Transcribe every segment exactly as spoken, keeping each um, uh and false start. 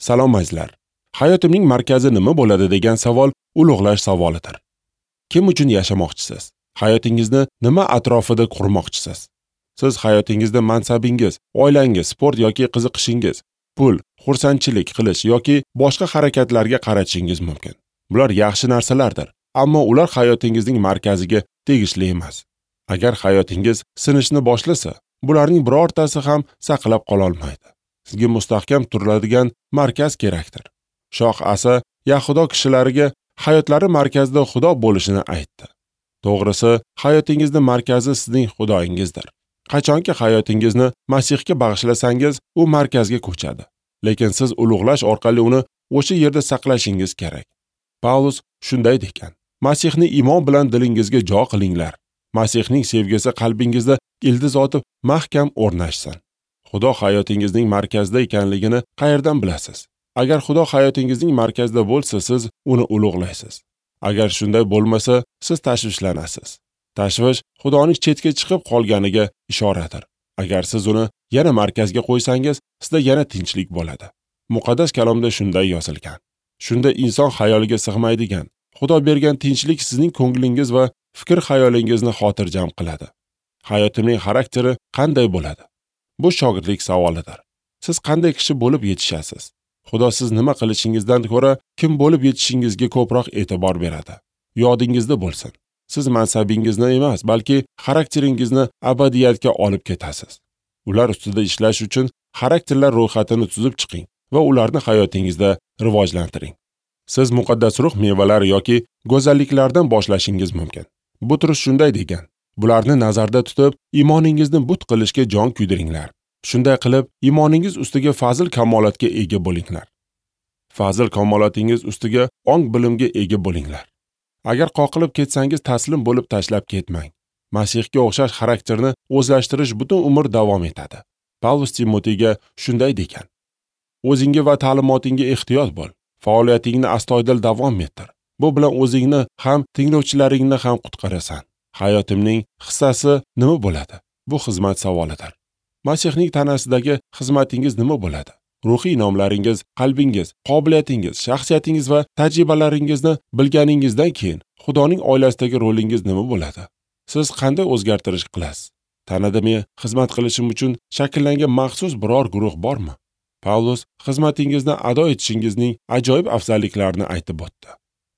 Salom azizlar. Hayotimning markazi nima bo'ladi degan savol ulug'lash savolidir. Kim uchun yashamoqchisiz? Hayotingizni nima atrofida qurmoqchisiz? Siz hayotingizda mansabingiz, oilangiz, sport yoki qiziqishingiz, pul, xursandchilik qilish yoki boshqa harakatlarga qaratishingiz mumkin. Bular yaxshi narsalardir, ammo ular hayotingizning markaziga tegishli emas. Agar hayotingiz sinishni boshlasa, bularning birortasi ham saqlab qola olmaydi. Sizga mustahkam turiladigan markaz kerakdir. Shoh Asa Yahudo kishilariga hayotlari markazida Xudo bo'lishini aytdi. To'g'risi, hayotingizning markazi sizning Xudoyingizdir. Qachonki hayotingizni Masihga bag'ishlasangiz, u markazga ko'chadi. Lekin siz ulug'lash orqali uni o'sha yerda saqlashingiz kerak. Pavlus shunday degan: Masihni iymon bilan dilingizga jo qilinglar. Masihning sevgisi qalbingizda ildiz otib mahkam o'rnashsin. Xudo hayotingizning markazida ekanligini qayerdan bilasiz? Agar Xudo hayotingizning markazida bo'lsa, siz uni ulug'laysiz. Agar shunday bo'lmasa, siz tashvishlanasiz. Tashvish Xudoning chetga chiqib qolganiga ishoradir. Agar siz uni yana markazga qo'ysangiz, sizda yana tinchlik bo'ladi. Muqaddas kalomda shunday yozilgan. Shunda inson xayoliga sig'maydigan Xudo bergan tinchlik sizning ko'nglingiz va fikr xayolingizni xotirjam qiladi. Hayotimning xarakteri qanday bo'ladi? Bu shogirdlik savolidir. Siz qanday kishi bo'lib yetishasiz? Xudo siz nima qilishingizdan ko'ra kim bo'lib yetishingizga ko'proq e'tibor beradi. Yodingizda bo'lsin. Siz mansabingizni emas, balki xarakteringizni abadiyatga olib ketasiz. Ular ustida ishlash uchun xarakterlar ro'yxatini tuzib chiqing va ularni hayotingizda rivojlantiring. Siz muqaddas ruh mevalari yoki go'zalliklardan boshlashingiz mumkin. Butrus shunday degan: bularni nazarda tutib, iymoningizni but qilishga jon kuydiringlar. Shunday qilib, iymoningiz ustiga fazil kamolatga ega bo'linglar. Fazil kamolatingiz ustiga ong bilimga ega bo'linglar. Agar qoqilib ketsangiz, taslim bo'lib tashlab ketmang. Masihga o'xshash xarakterni o'zlashtirish butun umr davom etadi. Pavlus Timoteyga shunday degan: o'zingga va ta'limotingga ehtiyot bo'l. Faoliyatingni astoydil davom ettir. Bu bilan o'zingni ham tinglovchilaringni ham qutqarasan. Hayotimning hissasi nima bo'ladi? Bu xizmat savolidir. Masihning tanasidagi xizmatingiz nima bo'ladi? Ruhiy inomlaringiz, qalbingiz, qobiliyatingiz, shaxsiyatingiz va tajribalaringizni bilganingizdan keyin Xudoning oilasidagi rolingiz nima bo'ladi? Siz qanday o'zgartirish qilasiz? Tanada men xizmat qilishim uchun shakllangan maxsus biror guruh bormi? Pavlus xizmatingizni ado etishingizning ajoyib afzalliklarini aytib o'tdi.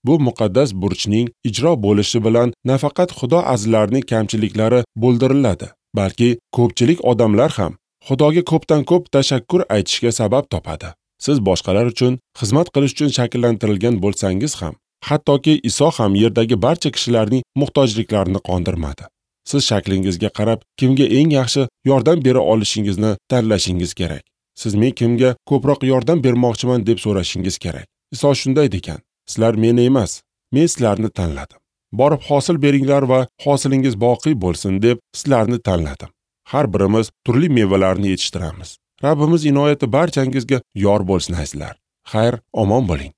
Bu muqaddas burchning ijro bo'lishi bilan nafaqat Xudo azizlarining kamchiliklari bo'ldiriladi, balki ko'pchilik odamlar ham Xudoga ko'pdan ko'p tashakkur aytishga sabab topadi. Siz boshqalar uchun xizmat qilish uchun shakllantirilgan bo'lsangiz ham, hattoki Iso ham yerdagi barcha kishilarning muhtojliklarini qondirmadi. Siz shaklingizga qarab kimga eng yaxshi yordam bera olishingizni tanlashingiz kerak. Siz men kimga ko'proq yordam bermoqchiman deb so'rashingiz kerak. Iso shunday degan: sizlar meni emas, men sizlarni tanladim. Borib hosil beringlar va hosilingiz boqiy bo'lsin deb sizlarni tanladim. Har birimiz turli mevalarni yetishtiramiz. Rabbimiz inoyati barchangizga yor bo'lsin azizlar. Xayr, omon bo'ling.